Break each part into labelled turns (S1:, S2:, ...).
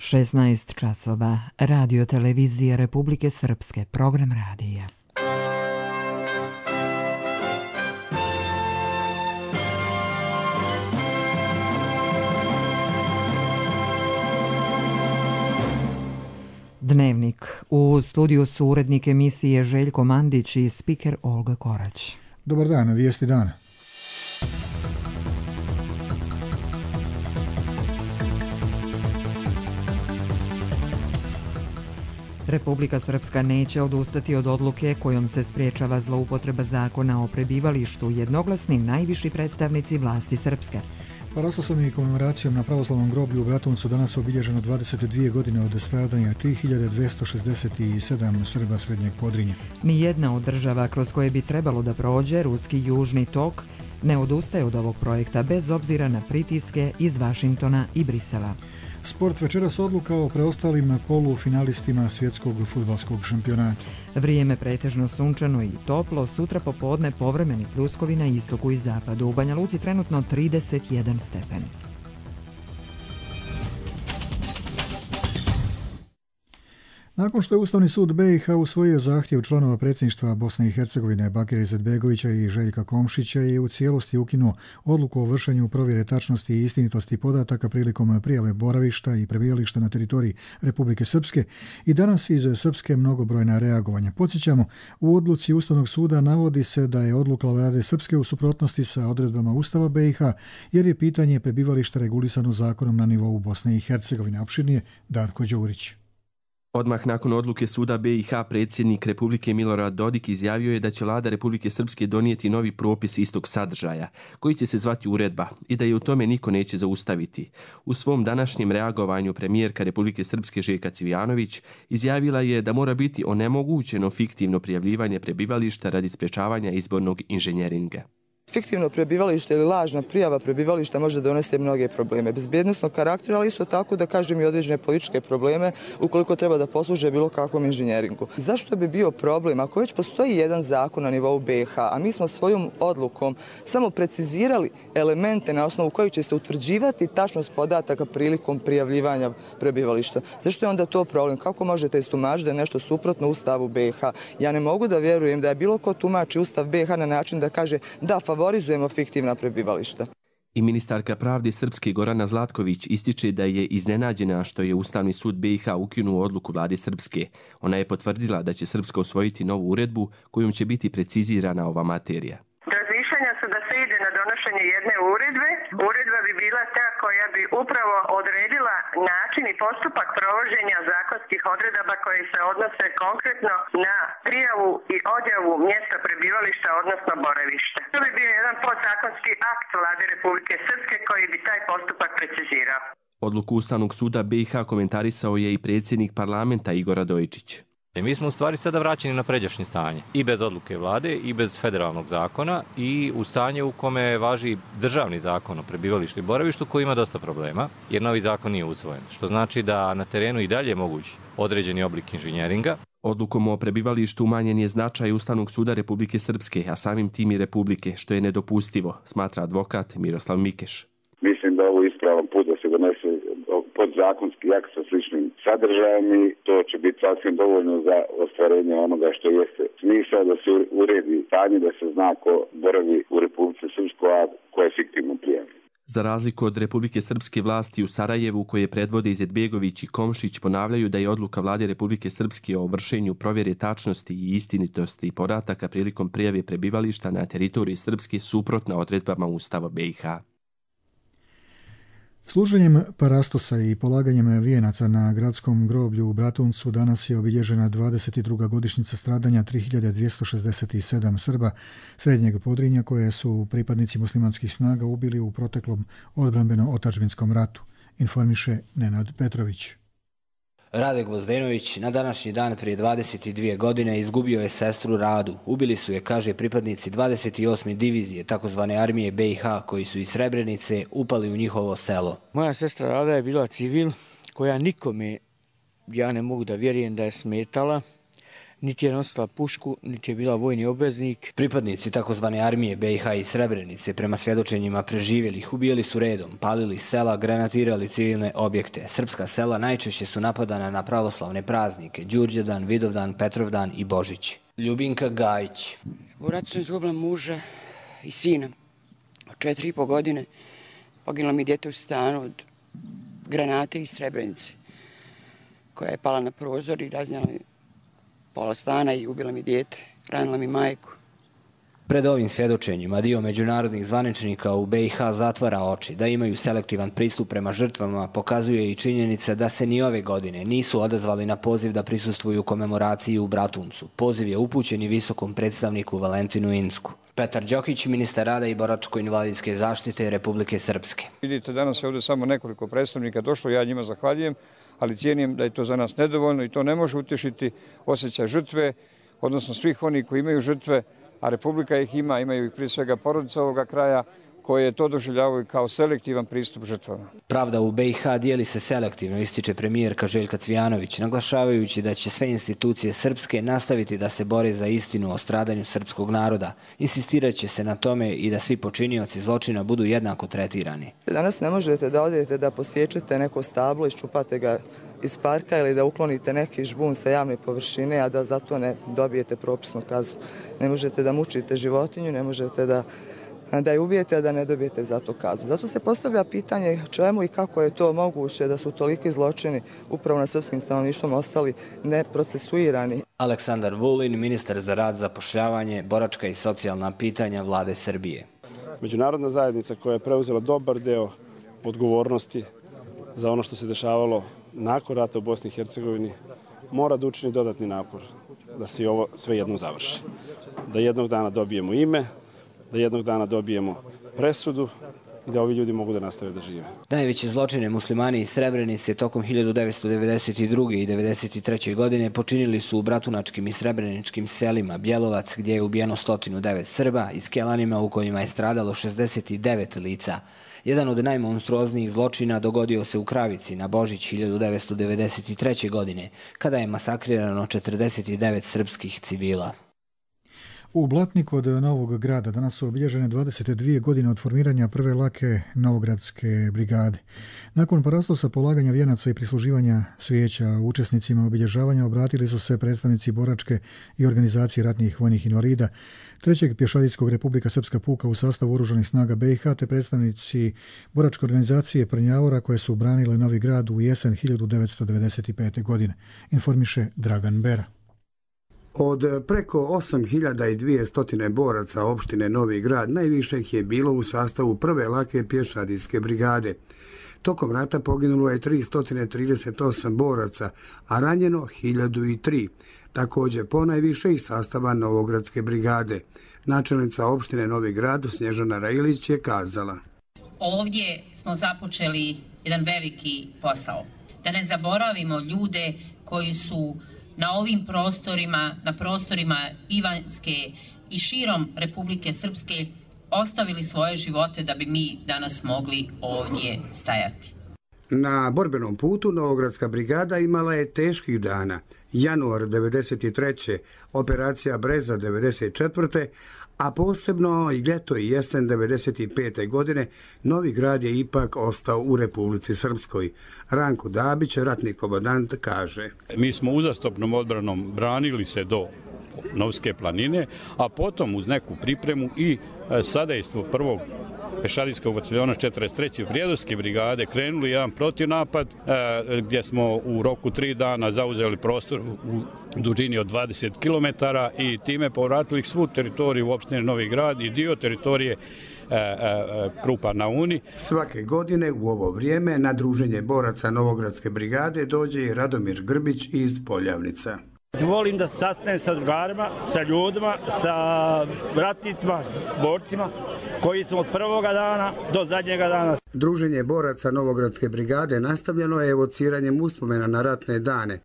S1: 16 časova. Radio televizije Republike Srpske. Program radija. Dnevnik. U studiju su urednik emisije Željko Mandić i spiker Olga Korać.
S2: Dobar dan, vijesti dana.
S1: Republika Srpska neće odustati od odluke kojom se sprječava zloupotreba zakona o prebivalištu, jednoglasni najviši predstavnici vlasti Srpske.
S2: Parastoslavnom i komemoracijom na pravoslavnom groblju u Bratuncu danas obilježeno 22 godine od stradanja 3267 Srba Srednjeg Podrinja.
S1: Nijedna od država kroz koje bi trebalo da prođe ruski južni tok ne odustaje od ovog projekta bez obzira na pritiske iz Vašingtona i Brisela.
S2: Sport večeras odluka o preostalim polufinalistima svjetskog fudbalskog šampionata.
S1: Vrijeme pretežno sunčano i toplo, sutra popodne povremeni pljuskovi na istoku i zapadu. U Banja Luci trenutno 31 stepen.
S2: Nakon što je Ustavni sud BiH usvojio zahtjev članova predsjedništva Bosne i Hercegovine Bakira Izetbegovića i Željka Komšića je u cijelosti ukinuo odluku o vršenju provjere tačnosti i istinitosti podataka prilikom prijave boravišta i prebivališta na teritoriji Republike Srpske i danas iz Srpske mnogobrojna reagovanja. Podsjećamo, u odluci Ustavnog suda navodi se da je odluka vlade Srpske u suprotnosti sa odredbama Ustava BiH jer je pitanje prebivališta regulisano zakonom na nivou Bosne i Hercegovine. Opširnije Darko Đurić.
S3: Odmah nakon odluke suda BiH predsjednik Republike Milorad Dodik izjavio je da će vlada Republike Srpske donijeti novi propis istog sadržaja, koji će se zvati uredba i da je u tome niko neće zaustaviti. U svom današnjem reagovanju premijerka Republike Srpske Željka Cvijanović izjavila je da mora biti onemogućeno fiktivno prijavljivanje prebivališta radi sprječavanja izbornog inženjeringa.
S4: Fiktivno prebivalište ili lažna prijava prebivališta može donesti mnoge probleme bezbjednosnog karaktera, ali isto tako da kažem i određene političke probleme ukoliko treba da posluže bilo kakvom inženjeringu. Zašto bi bio problem ako već postoji jedan zakon na nivou BiH, a mi smo svojom odlukom samo precizirali elemente na osnovu kojih će se utvrđivati tačnost podataka prilikom prijavljivanja prebivališta? Zašto je onda to problem? Kako možete istumačiti da je nešto suprotno Ustavu BiH? Ja ne mogu da vjerujem da je bilo ko tumači Ustav BiH na način da kaže da favorizujemo fiktivna prebivališta.
S3: I ministarka pravde Srpske Gorana Zlatković ističe da je iznenađena što je Ustavni sud BiH ukinuo odluku vlade Srpske. Ona je potvrdila da će Srpska usvojiti novu uredbu kojom će biti precizirana ova materija.
S5: Razmišljanja su da se ide na donošenje jedne uredbe. Uredba bi bila ta koja bi upravo odredila način i postupak provođenja zakonskih odredaba koje se odnose konkretno na prijavu i odjavu mjesta prebivališta, odnosno boravišta. To bi bio jedan podzakonski akt vlade Republike Srpske koji bi taj postupak precizirao.
S3: Odluku Ustavnog suda BiH komentarisao je i predsjednik parlamenta Igor Radojičić.
S6: Mi smo u stvari sada vraćeni na pređašnje stanje, i bez odluke vlade, i bez federalnog zakona, i u stanje u kome važi državni zakon o prebivalištu i boravištu koji ima dosta problema, jer novi zakon nije usvojen, što znači da na terenu i dalje je moguć određeni oblik inženjeringa.
S3: Odlukom o prebivalištu umanjen je značaj Ustavnog suda Republike Srpske, a samim tim i Republike, što je nedopustivo, smatra advokat Miroslav Mikeš.
S7: Mislim da ovo je ispravan put da se donese podzakonski akt sa sličnim sadržajem i to će biti sasvim dovoljno za ostvarenje onoga što jeste smisao da se uredi stanje, da se zna ko boravi u Republici Srpskoj, a ko je fiktivno prijavljen.
S3: Za razliku od Republike Srpske, vlasti u Sarajevu koje predvode Izetbegović i Komšić ponavljaju da je odluka vlade Republike Srpske o vršenju provjere tačnosti i istinitosti podataka prilikom prijave prebivališta na teritoriji Srpske suprotna odredbama Ustava BiH.
S2: Služenjem parastosa i polaganjem vijenaca na gradskom groblju u Bratuncu danas je obilježena 22. godišnjica stradanja 3267 Srba Srednjeg Podrinja koje su pripadnici muslimanskih snaga ubili u proteklom odbrambeno-otadžbinskom ratu, informiše Nenad Petrović.
S8: Rade Gvozdenović na današnji dan prije 22 godine izgubio je sestru Radu. Ubili su je, kaže, pripadnici 28. divizije takozvane armije BiH koji su iz Srebrenice upali u njihovo selo.
S9: Moja sestra Rada je bila civil koja nikome, ja ne mogu da vjerujem da je smetala, niti je nosila pušku, niti je bila vojni obveznik.
S8: Pripadnici takozvane armije BiH i Srebrenice prema svjedočenjima preživjelih ubijali su redom, palili sela, granatirali civilne objekte. Srpska sela najčešće su napadana na pravoslavne praznike, Đurđevdan, Vidovdan, Petrovdan i Božić. Ljubinka Gajić.
S10: U ratu sam izgubila muža i sina od 4,5 godine. Poginulo mi dijete u stanu od granate iz Srebrenice, koja je pala na prozor i raznijela mi pola stana i ubila mi dijete, ranila mi majku.
S8: Pred ovim svjedočenjima dio međunarodnih zvaničnika u BiH zatvara oči da imaju selektivan pristup prema žrtvama, pokazuje i činjenica da se ni ove godine nisu odazvali na poziv da prisustvuju komemoraciji u Bratuncu. Poziv je upućen i visokom predstavniku Valentinu Insku. Petar Đokić, ministar rada i boračko-invalidske zaštite Republike Srpske.
S11: Vidite, danas je ovdje samo nekoliko predstavnika došlo, ja njima zahvaljujem, ali cijenim da je to za nas nedovoljno i to ne može utješiti osjećaj žrtve, odnosno svih onih koji imaju žrtve, a Republika ih ima, imaju ih prije svega porodica ovoga kraja, koje to doživljavaju kao selektivan pristup žrtvama.
S8: Pravda u BiH dijeli se selektivno, ističe premijerka Željka Cvijanović, naglašavajući da će sve institucije srpske nastaviti da se bore za istinu o stradanju srpskog naroda. Insistirat će se na tome i da svi počinioci zločina budu jednako tretirani.
S4: Danas ne možete da odete da posjećete neko stablo, iščupate ga iz parka ili da uklonite neki žbun sa javne površine, a da zato ne dobijete propisnu kaznu. Ne možete da mučite životinju, ne možete da je ubijete, a da ne dobijete za to kaznu. Zato se postavlja pitanje čemu i kako je to moguće da su toliki zločini upravo na srpskim stanovništvom ostali neprocesuirani.
S8: Aleksandar Vulin, ministar za rad, zapošljavanje, boračka i socijalna pitanja Vlade Srbije.
S12: Međunarodna zajednica koja je preuzela dobar deo odgovornosti za ono što se dešavalo nakon rata u Bosni i Hercegovini mora da učini dodatni napor da se ovo sve jednom završi. Da jednog dana dobijemo ime, da jednog dana dobijemo presudu i da ovi ljudi mogu da nastave da žive.
S8: Najveće zločine muslimani iz Srebrenice tokom 1992. i 1993. godine počinili su u bratunačkim i srebreničkim selima Bjelovac, gdje je ubijeno 109 Srba, i Skelanima u kojima je stradalo 69 lica. Jedan od najmonstruoznijih zločina dogodio se u Kravici na Božić 1993. godine, kada je masakrirano 49 srpskih civila.
S2: U Blatniku kod Novog Grada danas su obilježene 22 godine od formiranja prve lake Novogradske brigade. Nakon paraslosa polaganja vijenaca i prisluživanja svijeća učesnicima obilježavanja obratili su se predstavnici boračke i organizacije ratnih vojnih invalida, 3. pješadijskog Republika Srpska puka u sastavu oružanih snaga BiH te predstavnici boračke organizacije Prnjavora koje su branile Novi Grad u jesen 1995. godine, informiše Dragan Bera.
S13: Od preko 8200 boraca opštine Novi Grad najviše ih je bilo u sastavu prve lake pješadijske brigade. Tokom rata poginulo je 338 boraca, a ranjeno 1003. Također ponajviše iz sastava Novogradske brigade. Načelnica opštine Novi Grad Snježana Rajilić je kazala:
S14: Ovdje smo započeli jedan veliki posao. Da ne zaboravimo ljude koji su na ovim prostorima, na prostorima Ivanjske i širom Republike Srpske ostavili svoje živote da bi mi danas mogli ovdje stajati.
S13: Na borbenom putu Novogradska brigada imala je teških dana. Januar 1993. operacija Breza 1994. a posebno i ljeto i jesen 1995. godine Novi Grad je ipak ostao u Republici Srpskoj. Ranko Dabić, ratni komandant, kaže:
S15: Mi smo uzastopnom odbranom branili se do Novske planine, a potom uz neku pripremu i sadejstvo prvog pešadijskog bataljona 43. Prijedorske brigade krenuli jedan protivnapad gdje smo u roku 3 dana zauzeli prostor u dužini od 20 km i time povratili svu teritoriju u opštini Novi Grad i dio teritorije Krupa na Uni.
S13: Svake godine u ovo vrijeme na druženje boraca Novogradske brigade dođe i Radomir Grbić iz Poljavnica.
S16: Volim da se sastanem sa drugarima, sa ljudima, sa ratnicima, borcima koji su od prvoga dana do zadnjega dana.
S13: Druženje boraca Novogradske brigade nastavljeno je evociranjem uspomena na ratne dane.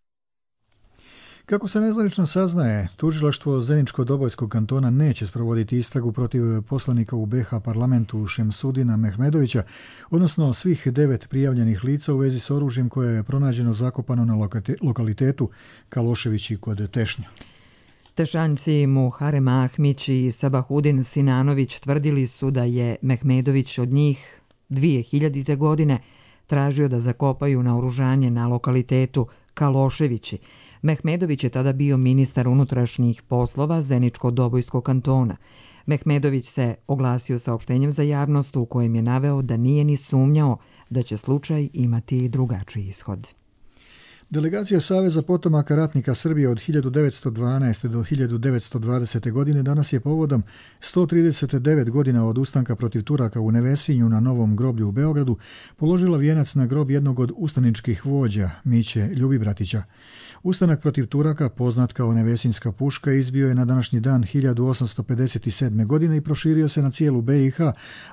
S2: Kako se nezvanično saznaje, tužilaštvo Zeničko-Dobojskog kantona neće sprovoditi istragu protiv poslanika u BiH parlamentu Šemsudina Mehmedovića, odnosno svih 9 prijavljenih lica u vezi s oružjem koje je pronađeno zakopano na lokalitetu Kaloševići kod Tešnja.
S1: Tešanjci Muharem Ahmić i Sabahudin Sinanović tvrdili su da je Mehmedović od njih 2000. godine tražio da zakopaju naoružanje na lokalitetu Kaloševići. Mehmedović je tada bio ministar unutrašnjih poslova Zeničko-Dobojskog kantona. Mehmedović se oglasio saopštenjem za javnost u kojem je naveo da nije ni sumnjao da će slučaj imati drugačiji ishod.
S2: Delegacija Saveza potomaka ratnika Srbije od 1912. do 1920. godine danas je povodom 139 godina od ustanka protiv Turaka u Nevesinju na Novom groblju u Beogradu položila vijenac na grob jednog od ustaničkih vođa, Miće Ljubibratića. Ustanak protiv Turaka, poznat kao Nevesinjska puška, izbio je na današnji dan 1857. godine i proširio se na cijelu BiH,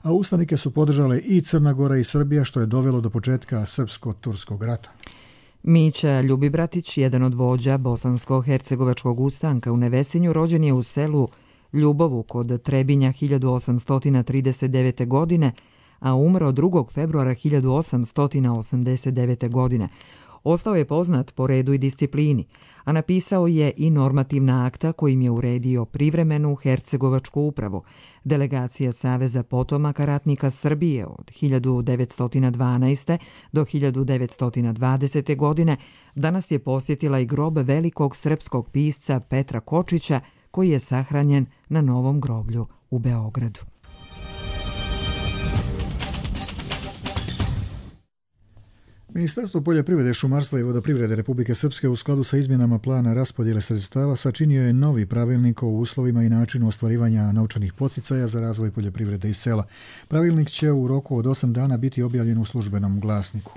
S2: a ustanike su podržale i Crna Gora i Srbija, što je dovelo do početka Srpsko-turskog rata.
S1: Mića Ljubibratić, jedan od vođa bosansko-hercegovačkog ustanka u Nevesinju, rođen je u selu Ljubovu kod Trebinja 1839. godine, a umro 2. februara 1889. godine. Ostao je poznat po redu i disciplini, a napisao je i normativna akta kojim je uredio privremenu hercegovačku upravu. Delegacija Saveza potomaka ratnika Srbije od 1912. do 1920. godine danas je posjetila i grob velikog srpskog pisca Petra Kočića, koji je sahranjen na Novom groblju u Beogradu.
S2: Ministarstvo poljoprivrede, šumarstva i vodoprivrede Republike Srpske u skladu sa izmjenama plana raspodjele sredstava sačinio je novi pravilnik o uslovima i načinu ostvarivanja novčanih podsticaja za razvoj poljoprivrede i sela. Pravilnik će u roku od 8 dana biti objavljen u službenom glasniku.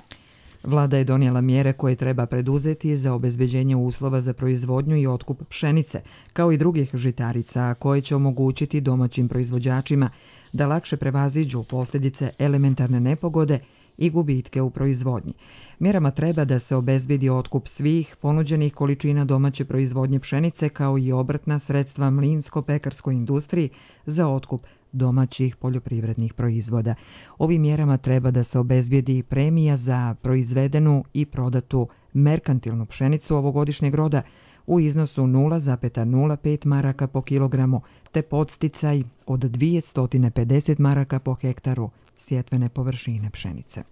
S1: Vlada je donijela mjere koje treba preduzeti za obezbeđenje uslova za proizvodnju i otkup pšenice, kao i drugih žitarica, koje će omogućiti domaćim proizvođačima da lakše prevaziđu posljedice elementarne nepogode i gubitke u proizvodnji. Mjerama treba da se obezbedi otkup svih ponuđenih količina domaće proizvodnje pšenice, kao i obrtna sredstva mlinsko-pekarskoj industriji za otkup domaćih poljoprivrednih proizvoda. Ovim mjerama treba da se obezbedi premija za proizvedenu i prodatu merkantilnu pšenicu ovogodišnjeg roda u iznosu 0,05 maraka po kilogramu, te podsticaj od 250 maraka po hektaru sjetvene površine pšenice.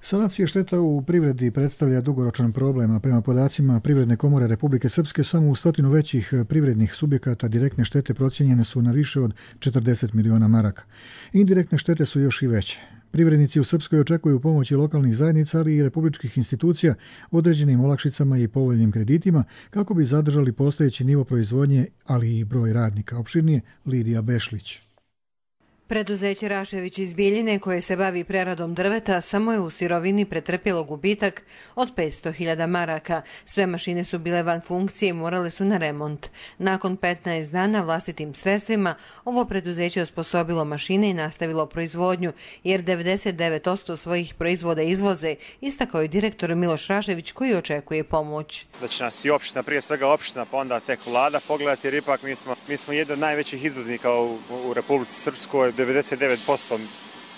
S2: Sanacija šteta u privredi predstavlja dugoročan problem, a prema podacima Privredne komore Republike Srpske samo u 100 većih privrednih subjekata direktne štete procijenjene su na više od 40 miliona maraka. Indirektne štete su još i veće. Privrednici u Srpskoj očekuju pomoći lokalnih zajednica, ali i republičkih institucija određenim olakšicama i povoljnim kreditima kako bi zadržali postojeći nivo proizvodnje, ali i broj radnika. Opširnije Lidija Bešlić.
S17: Preduzeće Rašević iz Bijeljine, koje se bavi preradom drveta, samo je u sirovini pretrpjelo gubitak od 500.000 maraka. Sve mašine su bile van funkcije i morale su na remont. Nakon 15 dana vlastitim sredstvima, ovo preduzeće osposobilo mašine i nastavilo proizvodnju, jer 99% svojih proizvoda izvoze, istakao je direktor Miloš Rašević, koji očekuje pomoć.
S18: Da će nas i opština, prije svega opština, pa onda tek vlada pogledati, jer ipak mi smo jedan od najvećih izvoznika u Republici Srpskoj. 99%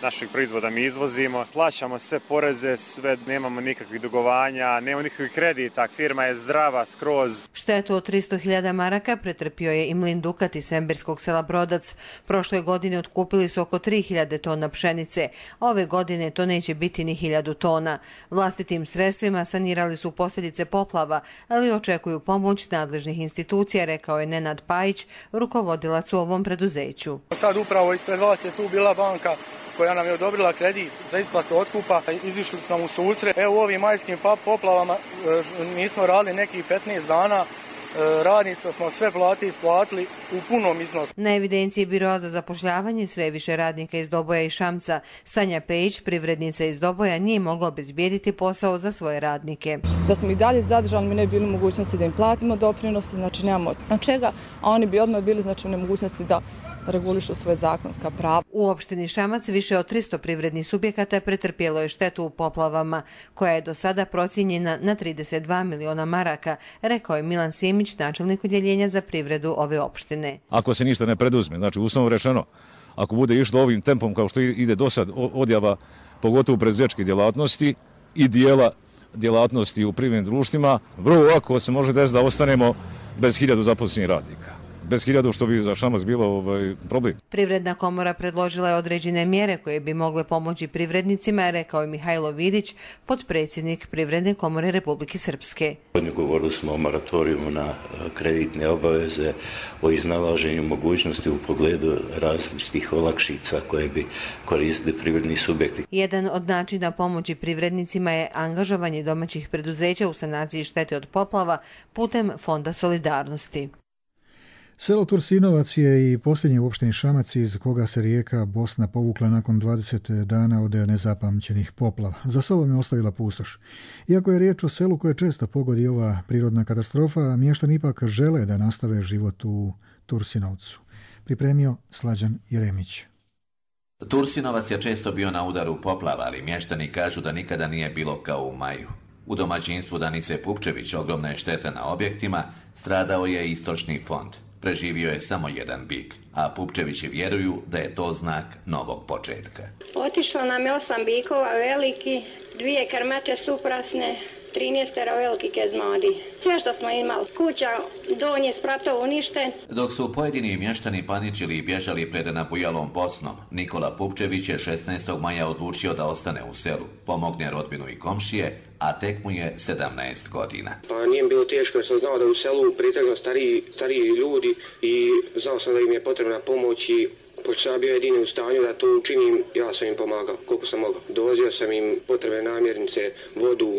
S18: naših proizvoda mi izvozimo, plaćamo sve poreze, sve, nemamo nikakvih dugovanja, nemamo nikakvih kredita, firma je zdrava skroz.
S17: Štetu od 300.000 maraka pretrpio je i mlin Dukat iz Sembirskog sela Brodac. Prošle godine otkupili su oko 3.000 tona pšenice, a ove godine to neće biti ni 1.000 tona. Vlastitim sredstvima sanirali su posljedice poplava, ali očekuju pomoć nadležnih institucija, rekao je Nenad Pajić, rukovodilac u ovom preduzeću.
S19: Sad upravo ispred vas je tu bila banka koja nam je odobrila kredit za isplatu otkupa. Izišli smo u susret. Evo u ovim majskim poplavama nismo radili nekih 15 dana. Radnica smo sve plate isplatili u punom iznosu.
S17: Na evidenciji Biroa za zapošljavanje sve više radnika iz Doboja i Šamca. Sanja Pejić, privrednica iz Doboja, nije mogla obezbijediti posao za svoje radnike.
S20: Da smo i dalje zadržali, mi ne bi bili u mogućnosti da im platimo doprinose, znači nemamo od čega, a oni bi odmah bili znači u nemogućnosti da regulišu svoje zakonska prava.
S17: U opštini Šamac više od 300 privrednih subjekata pretrpjelo je štetu u poplavama, koja je do sada procijenjena na 32 miliona maraka, rekao je Milan Sjemić, načelnik odjeljenja za privredu ove opštine.
S21: Ako se ništa ne preduzme, znači uslovno rečeno, ako bude išlo ovim tempom kao što ide do sad odjava, pogotovo proizvođačke djelatnosti i dijela djelatnosti u privrednim društvima, vrlo lako se može desiti da ostanemo bez 1000 zaposlenih radnika. Bez 1000 što bi za Šamac bilo problem.
S17: Privredna komora predložila je određene mjere koje bi mogle pomoći privrednicima, rekao je Mihajlo Vidić, potpredsjednik Privredne komore Republike Srpske.
S5: Govorili smo o moratorijumu na kreditne obaveze, o iznalaženju mogućnosti u pogledu različitih olakšica koje bi koristili privredni subjekti.
S17: Jedan od načina pomoći privrednicima je angažovanje domaćih preduzeća u sanaciji štete od poplava putem Fonda solidarnosti.
S2: Selo Tursinovac je i posljednje u opštini Šamac iz koga se rijeka Bosna povukla nakon 20 dana od nezapamćenih poplava. Za sobom je ostavila pustoš. Iako je riječ o selu koje često pogodi ova prirodna katastrofa, mještani ipak žele da nastave život u Tursinovcu. Pripremio Slađan Jeremić.
S22: Tursinovac je često bio na udaru poplava, ali mještani kažu da nikada nije bilo kao u maju. U domaćinstvu Danice Pupčević ogromna je šteta na objektima, stradao je i stočni fond. Preživio je samo jedan bik, a Pupčevići vjeruju da je to znak novog početka.
S23: Otišlo nam je 8 bikova veliki, 2 krmače suprasne, 13 veliki kezmadi. Sve što smo imali, kuća, donji spratov uništen.
S22: Dok su pojedini mještani paničili i bježali pred nabujalom Bosnom, Nikola Pupčević je 16. maja odlučio da ostane u selu, pomogne rodbinu i komšije, a tek mu je 17 godina.
S24: Pa nije mi bilo teško jer sam znao da u selu pritegnu stariji ljudi i znao sam da im je potrebna pomoć i pošto sam bio jedini u stanju da to učinim, ja sam im pomagao koliko sam mogao. Dovozio sam im potrebne namirnice, vodu,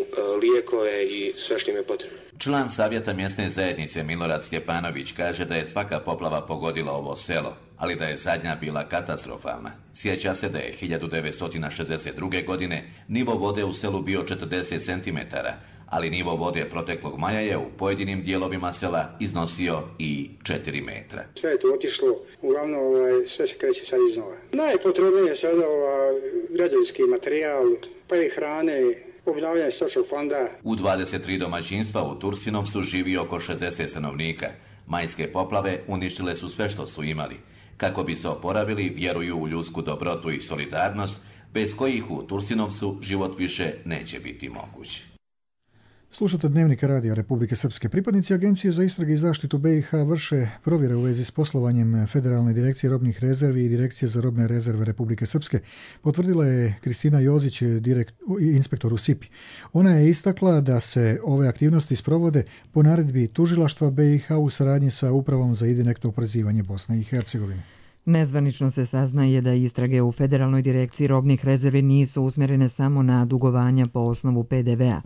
S24: lijekove i sve što im je potrebno.
S22: Član savjeta mjesne zajednice Milorad Stjepanović kaže da je svaka poplava pogodila ovo selo, ali da je zadnja bila katastrofalna. Sjeća se da je 1962. godine nivo vode u selu bio 40 cm, ali nivo vode proteklog maja je u pojedinim dijelovima sela iznosio i 4 metra.
S25: Sve je to otišlo, uglavnom sve se kreće sad iznova. Najpotrebnije je sada građevinski materijal, pa i hrane, obnavljanje stočnog fonda.
S22: U 23 domaćinstva u Tursinovcu živi oko 60 stanovnika. Majske poplave uništile su sve što su imali. Kako bi se oporavili, vjeruju u ljudsku dobrotu i solidarnost, bez kojih u Tursinovcu život više neće biti moguć.
S2: Slušate Dnevnik radija Republike Srpske. Pripadnici Agencije za istrage i zaštitu BiH vrše provjere u vezi s poslovanjem Federalne direkcije robnih rezervi i Direkcije za robne rezerve Republike Srpske, potvrdila je Kristina Jozić, inspektor u SIPI. Ona je istakla da se ove aktivnosti sprovode po naredbi tužilaštva BiH u saradnji sa Upravom za indirektno oporezivanje Bosne i Hercegovine.
S1: Nezvanično se saznaje da istrage u Federalnoj direkciji robnih rezervi nisu usmjerene samo na dugovanja po osnovu PDV-a.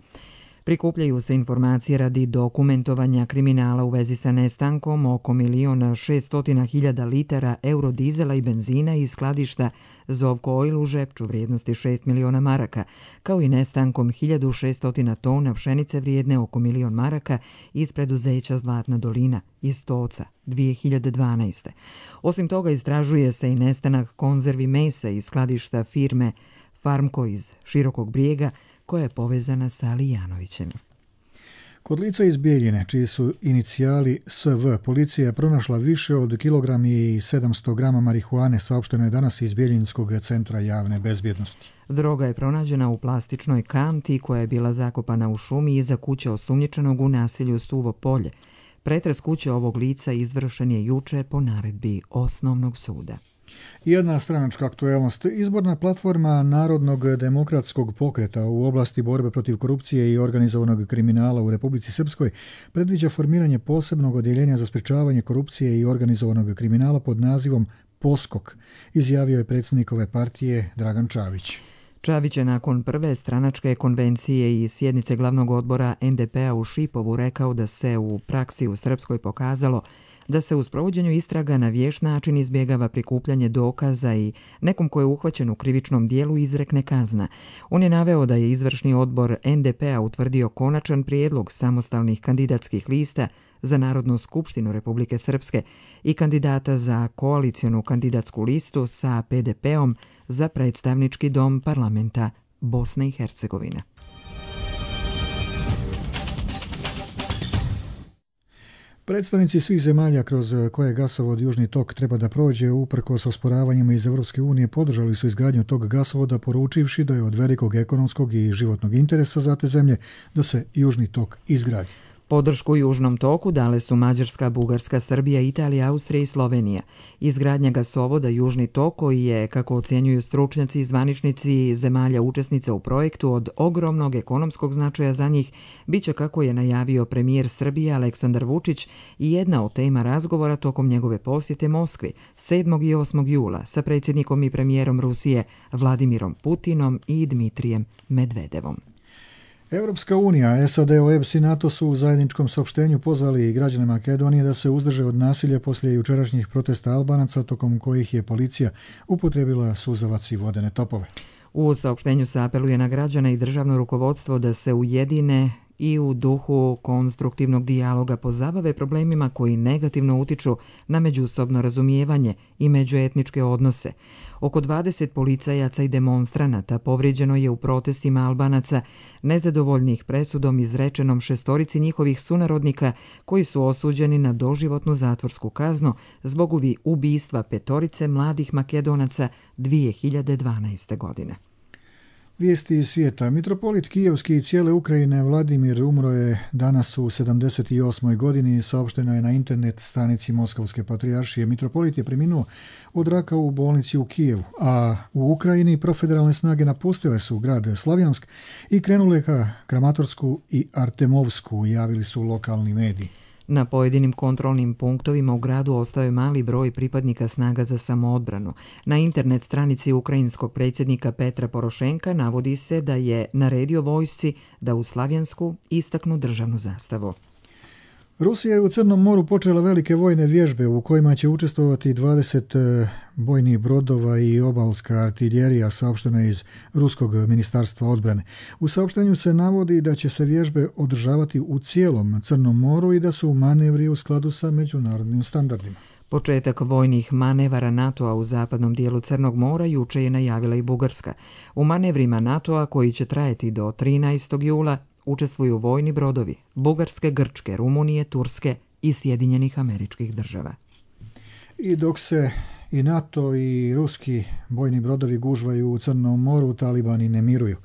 S1: Prikupljaju se informacije radi dokumentovanja kriminala u vezi sa nestankom oko 1.600.000 litara eurodizela i benzina iz skladišta Zovko Oil u Žepču vrijednosti 6 miliona maraka, kao i nestankom 1.600 tona pšenice vrijedne oko 1.000.000 maraka iz preduzeća Zlatna dolina iz Toca 2012. Osim toga istražuje se i nestanak konzervi mesa iz skladišta firme Farmko iz Širokog Brijega, koja je povezana sa Lijanovićem.
S2: Kod lica iz Bijeljine, čiji su inicijali SV, policija je pronašla više od 1,7 kg marihuane, saopšteno je danas iz Bijeljinskog centra javne bezbjednosti.
S1: Droga je pronađena u plastičnoj kanti koja je bila zakopana u šumi iza kuće osumnjičenog u naselju Suvo polje. Pretres kuće ovog lica izvršen je juče po naredbi Osnovnog suda.
S2: Jedna stranačka aktuelnost. Izborna platforma Narodnog demokratskog pokreta u oblasti borbe protiv korupcije i organizovanog kriminala u Republici Srpskoj predviđa formiranje posebnog odjeljenja za sprečavanje korupcije i organizovanog kriminala pod nazivom POSKOK, izjavio je predsjednik ove partije Dragan Čavić.
S1: Čavić je nakon prve stranačke konvencije i sjednice glavnog odbora NDP-a u Šipovu rekao da se u praksi u Srpskoj pokazalo da se u sprovođenju istraga na vješt način izbjegava prikupljanje dokaza i nekom ko je uhvaćen u krivičnom dijelu izrekne kazna. On je naveo da je izvršni odbor NDP-a utvrdio konačan prijedlog samostalnih kandidatskih lista za Narodnu skupštinu Republike Srpske i kandidata za koalicionu kandidatsku listu sa PDP-om za predstavnički dom parlamenta Bosne i Hercegovine.
S2: Predstavnici svih zemalja kroz koje gasovod Južni tok treba da prođe uprkos osporavanjima iz Evropske unije podržali su izgradnju tog gasovoda poručivši da je od velikog ekonomskog i životnog interesa za te zemlje da se Južni tok izgradi.
S1: Podršku Južnom toku dale su Mađarska, Bugarska, Srbija, Italija, Austrija i Slovenija. Izgradnja gasovoda Južni tok, koji je, kako ocjenjuju stručnjaci i zvaničnici zemalja učesnica u projektu, od ogromnog ekonomskog značaja za njih, biće, kako je najavio premijer Srbije Aleksandar Vučić, i jedna od tema razgovora tokom njegove posjete Moskvi 7. i 8. jula sa predsjednikom i premijerom Rusije Vladimirom Putinom i Dmitrijem Medvedevom.
S2: Europska unija, SAD, OEBS i NATO su u zajedničkom saopštenju pozvali građane Makedonije da se uzdrže od nasilja poslije jučerašnjih protesta Albanaca, tokom kojih je policija upotrijebila suzavac i vodene topove.
S1: U saopštenju se apeluje na građane i državno rukovodstvo da se ujedine i u duhu konstruktivnog dijaloga pozabave problemima koji negativno utiču na međusobno razumijevanje i međuetničke odnose. Oko 20 policajaca i demonstranata povrijeđeno je u protestima Albanaca, nezadovoljnih presudom izrečenom 6 njihovih sunarodnika koji su osuđeni na doživotnu zatvorsku kaznu zbog ubistva 5 mladih Makedonaca 2012. godine.
S2: Vijesti iz svijeta. Mitropolit Kijevski i cijele Ukrajine Vladimir umro je danas u 78. godini, saopšteno je na internet stranici Moskovske patrijaršije. Mitropolit je preminuo od raka u bolnici u Kijevu, a u Ukrajini profederalne snage napustile su grad Slavjansk i krenule ka Kramatorsku i Artemovsku, javili su lokalni mediji.
S1: Na pojedinim kontrolnim punktovima u gradu ostao je mali broj pripadnika snaga za samoodbranu. Na internet stranici ukrajinskog predsjednika Petra Porošenka navodi se da je naredio vojsci da u Slavjansku istaknu državnu zastavu.
S2: Rusija je u Crnom moru počela velike vojne vježbe u kojima će učestvovati 20 bojnih brodova i obalska artiljerija, saopšteno je iz Ruskog ministarstva odbrane. U saopštenju se navodi da će se vježbe održavati u cijelom Crnom moru i da su manevri u skladu sa međunarodnim standardima.
S1: Početak vojnih manevara NATO-a u zapadnom dijelu Crnog mora juče je najavila i Bugarska. U manevrima NATO-a, koji će trajati do 13. jula, učestvuju vojni brodovi Bugarske, Grčke, Rumunije, Turske i Sjedinjenih Američkih Država.
S2: I dok se i NATO i ruski bojni brodovi gužvaju u Crnom moru, talibani ne miruju.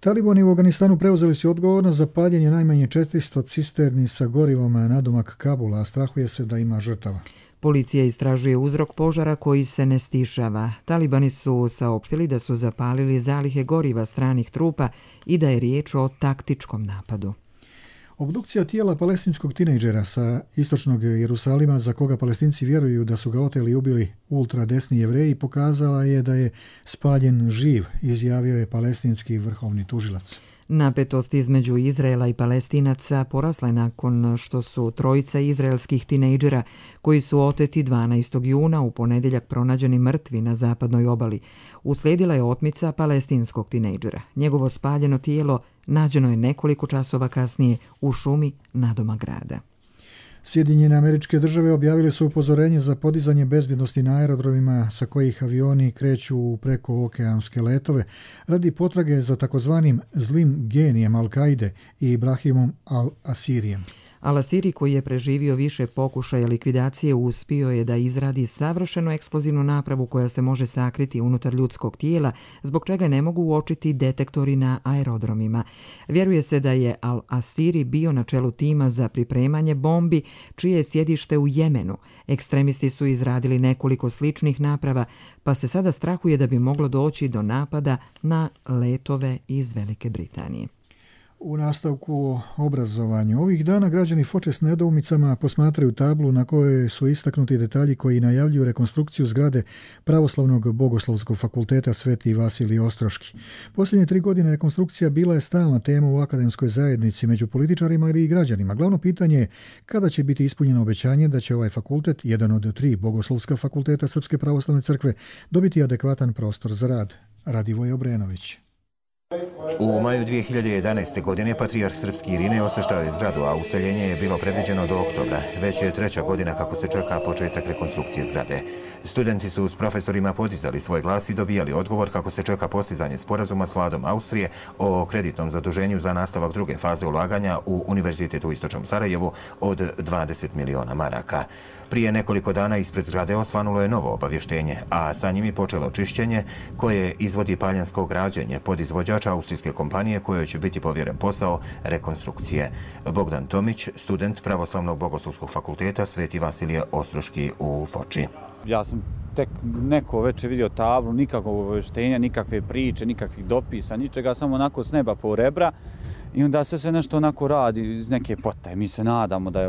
S2: Talibani u Afganistanu preuzeli su odgovornost za paljenje najmanje 400 cisterni sa gorivom nadomak Kabula, a strahuje se da ima žrtava.
S1: Policija istražuje uzrok požara koji se ne stišava. Talibani su saopštili da su zapalili zalihe goriva stranih trupa i da je riječ o taktičkom napadu.
S2: Obdukcija tijela palestinskog tinejdžera sa istočnog Jerusalima, za koga Palestinci vjeruju da su ga oteli i ubili ultradesni Jevreji, pokazala je da je spaljen živ, izjavio je palestinski vrhovni tužilac.
S1: Napetost između Izraela i Palestinaca porasla je nakon što su trojica izraelskih tinejdžera koji su oteti 12. juna u ponedjeljak pronađeni mrtvi na zapadnoj obali. Uslijedila je otmica palestinskog tinejdžera. Njegovo spaljeno tijelo nađeno je nekoliko časova kasnije u šumi nadomak grada.
S2: Sjedinjene Američke Države objavile su upozorenje za podizanje bezbjednosti na aerodromima sa kojih avioni kreću u prekookeanske letove radi potrage za takozvanim zlim genijem Al-Kaide i Ibrahimom Al-Asirijem.
S1: Al-Asiri, koji je preživio više pokušaja likvidacije, uspio je da izradi savršenu eksplozivnu napravu koja se može sakriti unutar ljudskog tijela, zbog čega ne mogu uočiti detektori na aerodromima. Vjeruje se da je Al-Asiri bio na čelu tima za pripremanje bombi, čije je sjedište u Jemenu. Ekstremisti su izradili nekoliko sličnih naprava, pa se sada strahuje da bi moglo doći do napada na letove iz Velike Britanije.
S2: U nastavku o obrazovanju. Ovih dana građani Foče s nedoumicama posmatraju tablu na kojoj su istaknuti detalji koji najavljuju rekonstrukciju zgrade Pravoslavnog bogoslovskog fakulteta Sveti Vasilij Ostroški. Posljednje 3 godine rekonstrukcija bila je stalna tema u akademskoj zajednici među političarima i građanima. Glavno pitanje je kada će biti ispunjeno obećanje da će ovaj fakultet, jedan od 3 bogoslovska fakulteta Srpske pravoslavne crkve, dobiti adekvatan prostor za rad. Radivoj Obrenović.
S3: U maju 2011. godine patrijarh srpski Irinej osveštao je zgradu, a useljenje je bilo predviđeno do oktobra. Već je 3. godina kako se čeka početak rekonstrukcije zgrade. Studenti su s profesorima podizali svoj glas i dobijali odgovor kako se čeka postizanje sporazuma s vladom Austrije o kreditnom zaduženju za nastavak druge faze ulaganja u Univerzitet u Istočnom Sarajevu od 20 miliona maraka. Prije nekoliko dana ispred zgrade osvanulo je novo obavještenje, a sa njim i počelo čišćenje koje izvodi Paljansko građenje, podizvođač izvođača austrijske kompanije kojoj će biti povjeren posao rekonstrukcije. Bogdan Tomić, student Pravoslavnog bogoslovskog fakulteta Sveti Vasilije Ostroški u Foči.
S6: Ja sam tek neko večer vidio tablu, nikakvog obavještenja, nikakve priče, nikakvih dopisa, ničega, samo onako s neba po rebra. I onda se nešto onako radi iz neke potaje. Mi se nadamo da je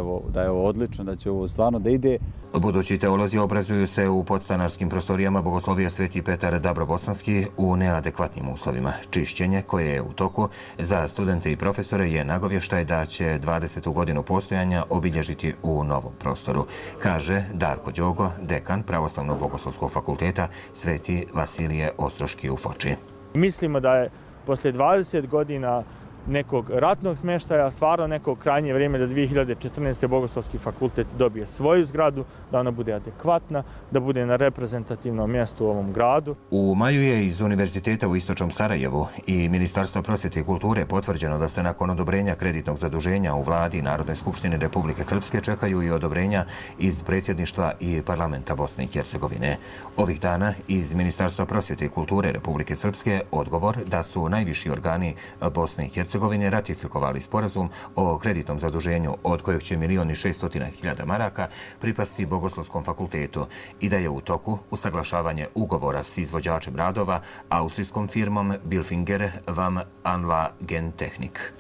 S6: ovo odlično, da će ovo stvarno da ide.
S3: Budući teolozi obrazuju se u podstanarskim prostorijama Bogoslovije Sveti Petar Dabrobosanski u neadekvatnim uslovima. Čišćenje koje je u toku za studente i profesore je nagovještaj da će 20. godinu postojanja obilježiti u novom prostoru, kaže Darko Đogo, dekan Pravoslavnog bogoslovskog fakulteta Sveti Vasilije Ostroški u Foči.
S7: Mislimo da je poslije 20 godina nekog ratnog smještaja, stvarno neko krajnje vrijeme da 2014. Bogoslovski fakultet dobije svoju zgradu, da ona bude adekvatna, da bude na reprezentativnom mjestu u ovom gradu.
S3: U maju je iz Univerziteta u Istočnom Sarajevu i Ministarstva prosvjete i kulture potvrđeno da se nakon odobrenja kreditnog zaduženja u vladi i Narodnoj skupštini Republike Srpske čekaju i odobrenja iz predsjedništva i parlamenta Bosne i Hercegovine. Ovih dana iz Ministarstva prosvjete i kulture Republike Srpske odgovor da su najviši organi Bosne i Hercegovine ratifikovali sporazum o kreditnom zaduženju od kojeg će 1.600.000 maraka pripasti Bogoslovskom fakultetu i da je u toku usaglašavanje ugovora s izvođačem radova austrijskom firmom Bilfinger vam Anlagentechnik.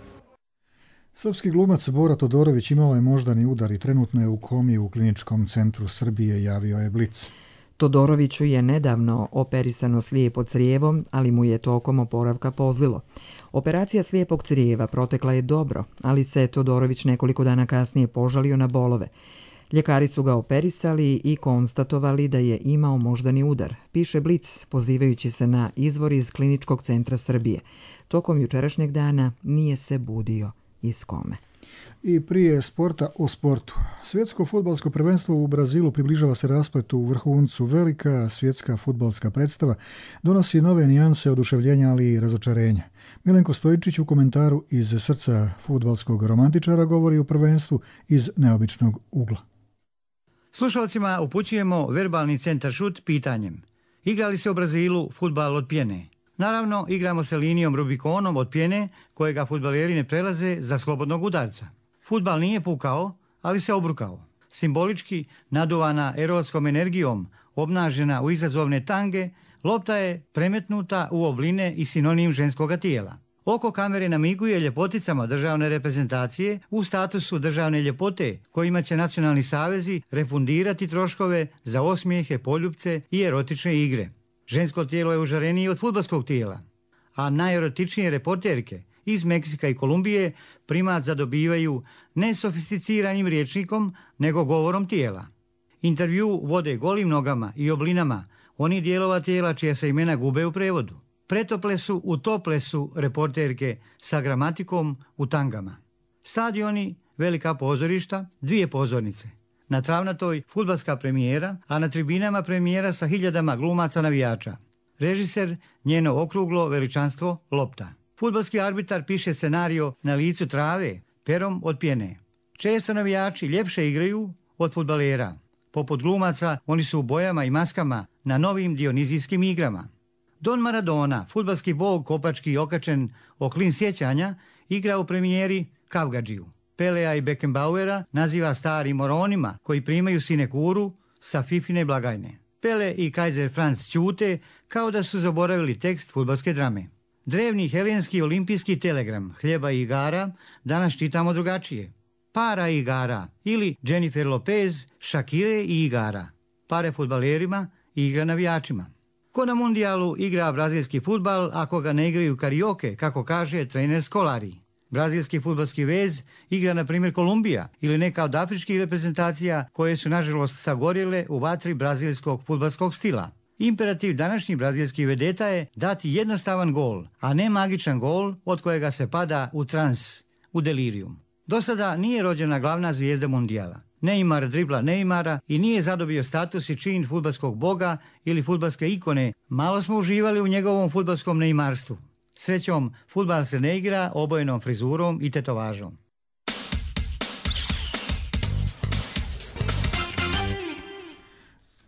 S2: Srpski glumac Bora Todorović imao je moždani udar i trenutno je u komi u Kliničkom centru Srbije, javio je Blic.
S1: Todoroviću je nedavno operisano slijepo crijevo, ali mu je tokom oporavka pozlilo. Operacija slijepog crijeva protekla je dobro, ali se Todorović nekoliko dana kasnije požalio na bolove. Ljekari su ga operisali i konstatovali da je imao moždani udar, piše Blic, pozivajući se na izvor iz Kliničkog centra Srbije. Tokom jučerašnjeg dana nije se budio iz kome.
S2: I prije sporta o sportu. Svjetsko fudbalsko prvenstvo u Brazilu približava se raspletu u vrhuncu. Velika svjetska fudbalska predstava donosi nove nijanse oduševljenja, ali i razočarenja. Milenko Stojičić u komentaru iz srca fudbalskog romantičara govori o prvenstvu iz neobičnog ugla.
S9: Slušalcima upućujemo verbalni centar šut pitanjem. Igra li se u Brazilu fudbal od pjene? Naravno, igramo se linijom Rubikonom od pjene kojega fudbaleri ne prelaze za slobodnog udarca. Fudbal nije pukao, ali se obrukao. Simbolički naduvana erotskom energijom, obnažena u izazovne tange, lopta je premetnuta u obline i sinonim ženskoga tijela. Oko kamere namiguje ljepoticama državne reprezentacije u statusu državne ljepote, kojima će nacionalni savezi refundirati troškove za osmijehe, poljupce i erotične igre. Žensko tijelo je užarenije od fudbalskog tijela, a najerotičnije reporterke iz Meksika i Kolumbije primat zadobivaju ne sofisticiranim rječnikom, nego govorom tijela. Intervju vode golim nogama i oblinama oni dijelova tijela čija se imena gube u prevodu. Pretople su u toplesu reporterke sa gramatikom u tangama. Stadioni, velika pozorišta, 2 pozornice. Na travnatoj fudbalska premijera, a na tribinama premijera sa hiljadama glumaca navijača. Režiser, njeno okruglo veličanstvo, lopta. Fudbalski arbitar piše scenario na licu trave, perom od pjene. Često navijači ljepše igraju od fudbalera. Poput glumaca, oni su u bojama i maskama na novim dionizijskim igrama. Don Maradona, fudbalski bog kopački okačen o klin sjećanja, igra u premijeri Kavgadžiju. Pelea i Beckenbauera naziva starim moronima koji primaju sinekuru sa Fifine blagajne. Pele i Kaiser Franz ćute kao da su zaboravili tekst fudbalske drame. Drevni helenski olimpijski telegram hljeba i igara danas čitamo drugačije. Para i igara ili Jennifer Lopez, Shakire i igara. Pare fudbalerima i igra navijačima. Ko na mundijalu igra brazilski fudbal ako ga ne igraju karioke, kako kaže trener Scolari. Brazilski fudbalski vez igra na primjer Kolumbija ili neka od afričkih reprezentacija koje su nažalost sagorjele u vatri brazilskog fudbalskog stila. Imperativ današnjih brazilskih vedeta je dati jednostavan gol, a ne magičan gol od kojega se pada u trans, u delirium. Do sada nije rođena glavna zvijezda mundijala. Neymar dribla Neymara i nije zadobio status i čin fudbalskog boga ili fudbalske ikone. Malo smo uživali u njegovom fudbalskom neymarstvu. Srećom, fudbal se ne igra obojenom frizurom i tetovažom.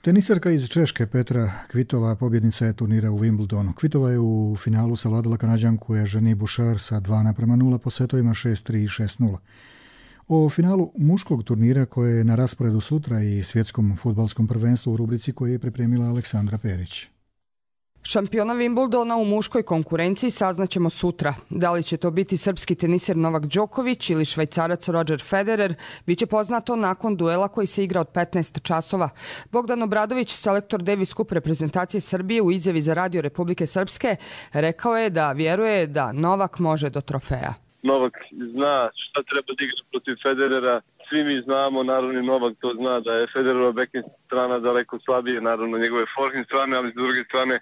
S2: Teniserka iz Češke Petra Kvitova pobjednica je turnira u Wimbledonu. Kvitova je u finalu savladala Kanađanku Eugenie Bouchard sa 2:0 po setovima 6-3 i 6-0. O finalu muškog turnira koje je na rasporedu sutra i svjetskom fudbalskom prvenstvu u rubrici koju je pripremila Aleksandra Perić.
S4: Šampiona Wimbledona u muškoj konkurenciji saznaćemo sutra. Da li će to biti srpski teniser Novak Đoković ili švajcarac Roger Federer, bit će poznato nakon duela koji se igra od 15 časova. Bogdan Obradović, selektor Davis Cup reprezentacije Srbije, u izjavi za Radio Republike Srpske rekao je da vjeruje da Novak može do trofeja.
S8: Novak zna šta treba da igra protiv Federera. Svi mi znamo, naravno i Novak to zna, da je Federerova backhand strana daleko slabije, naravno njegove forehand strane, ali s druge strane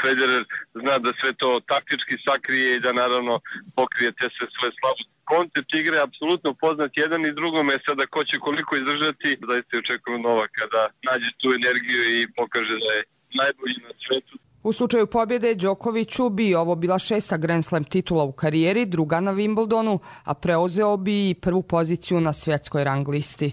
S8: Federer zna da sve to taktički sakrije i da naravno pokrije te sve svoje slabosti. Koncept igre je apsolutno poznat jedan i drugome, sada ko će koliko izdržati, zaista očekujem Novaka da nađe tu energiju i pokaže da je najbolji na svetu.
S4: U slučaju pobjede Đokoviću bi ovo bila 6. Grand Slam titula u karijeri, druga na Wimbledonu, a preuzeo bi i prvu poziciju na svjetskoj rang listi.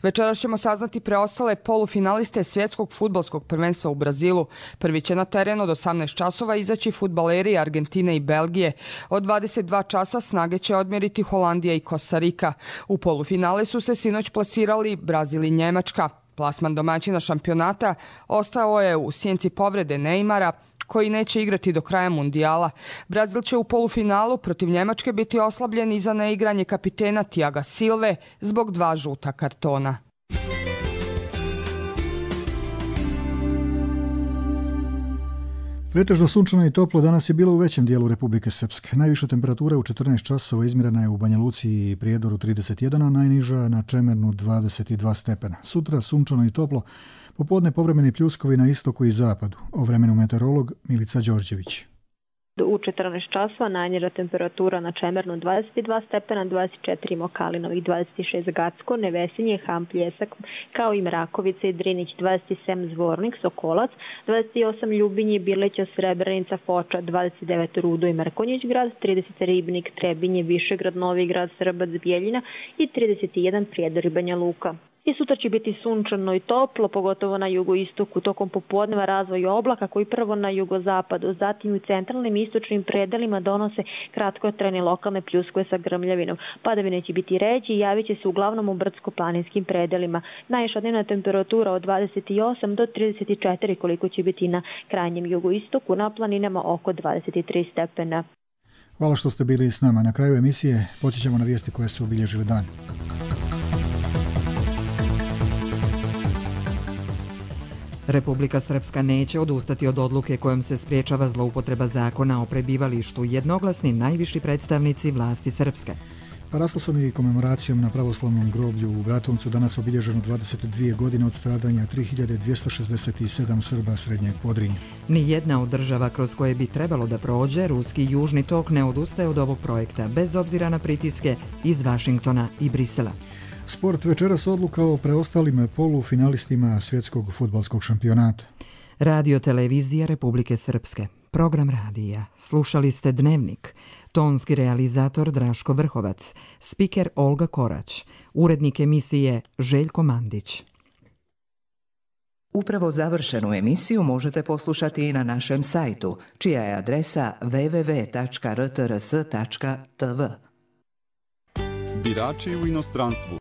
S4: Večeras ćemo saznati preostale polufinaliste svjetskog fudbalskog prvenstva u Brazilu. Prvi će na teren od 18 časova izaći fudbaleri Argentine i Belgije. Od 22 časa snage će odmjeriti Holandija i Kostarika. U polufinale su se sinoć plasirali Brazil i Njemačka. Plasman domaćina šampionata ostao je u sjenci povrede Neymara, koji neće igrati do kraja mundijala. Brazil će u polufinalu protiv Njemačke biti oslabljen i za neigranje kapitena Thiaga Silve zbog 2 žuta kartona.
S2: Pretežno sunčano i toplo danas je bilo u većem dijelu Republike Srpske. Najviša temperatura u 14 časova izmjerena je u Banja Luci i Prijedoru 31, a najniža na Čemernu 22 stepena. Sutra sunčano i toplo, popodne povremeni pljuskovi na istoku i zapadu. O vremenu meteorolog Milica Đorđević.
S10: U 14 časova najniža temperatura na Čemernu 22 stepena, 24 Mokalinovih, 26 Gacko, Nevesinje, Ham, Pljesak, kao i Mrakovica i Drinić, 27 Zvornik, Sokolac, 28 Ljubinje, Birleća, Srebrenica, Foča, 29 Rudo i Mrkonjić grad, 30 Ribnik, Trebinje, Višegrad, Novi grad, Srbac, Bijeljina i 31 Prijedor i Banja Luka. I sutra će biti sunčano i toplo, pogotovo na jugoistoku. Tokom popodneva razvoj oblaka koji prvo na jugozapadu, zatim u centralnim i istočnim predelima donose kratkotrajne lokalne pljuskove sa grmljavinom. Padavine će biti ređe i javit će se uglavnom u brdsko-planinskim predelima. Najviša dnevna temperatura od 28 do 34 koliko će biti na krajnjem jugoistoku, na planinama oko 23 stepena.
S2: Hvala što ste bili s nama. Na kraju emisije podsjećamo na vijesti koje su obilježile dan.
S1: Republika Srpska neće odustati od odluke kojom se spriječava zloupotreba zakona o prebivalištu, jednoglasni najviši predstavnici vlasti Srpske.
S2: Paraslasom i komemoracijom na pravoslavnom groblju u Bratuncu danas obilježeno 22 godine od stradanja 3267 Srba Srednjeg Podrinja.
S1: Nijedna od država kroz koje bi trebalo da prođe ruski južni tok ne odustaje od ovog projekta, bez obzira na pritiske iz Vašingtona i Brisela.
S2: Sport večeras odluka o preostalim polufinalistima svjetskog fudbalskog šampionata.
S1: Radio televizija Republike Srpske. Program radija. Slušali ste Dnevnik. Tonski realizator Draško Vrhovac. Spiker Olga Korać. Urednik emisije Željko Mandić.
S11: Upravo završenu emisiju možete poslušati i na našem sajtu, čija je adresa www.rtrs.tv.
S12: Birači u inostranstvu.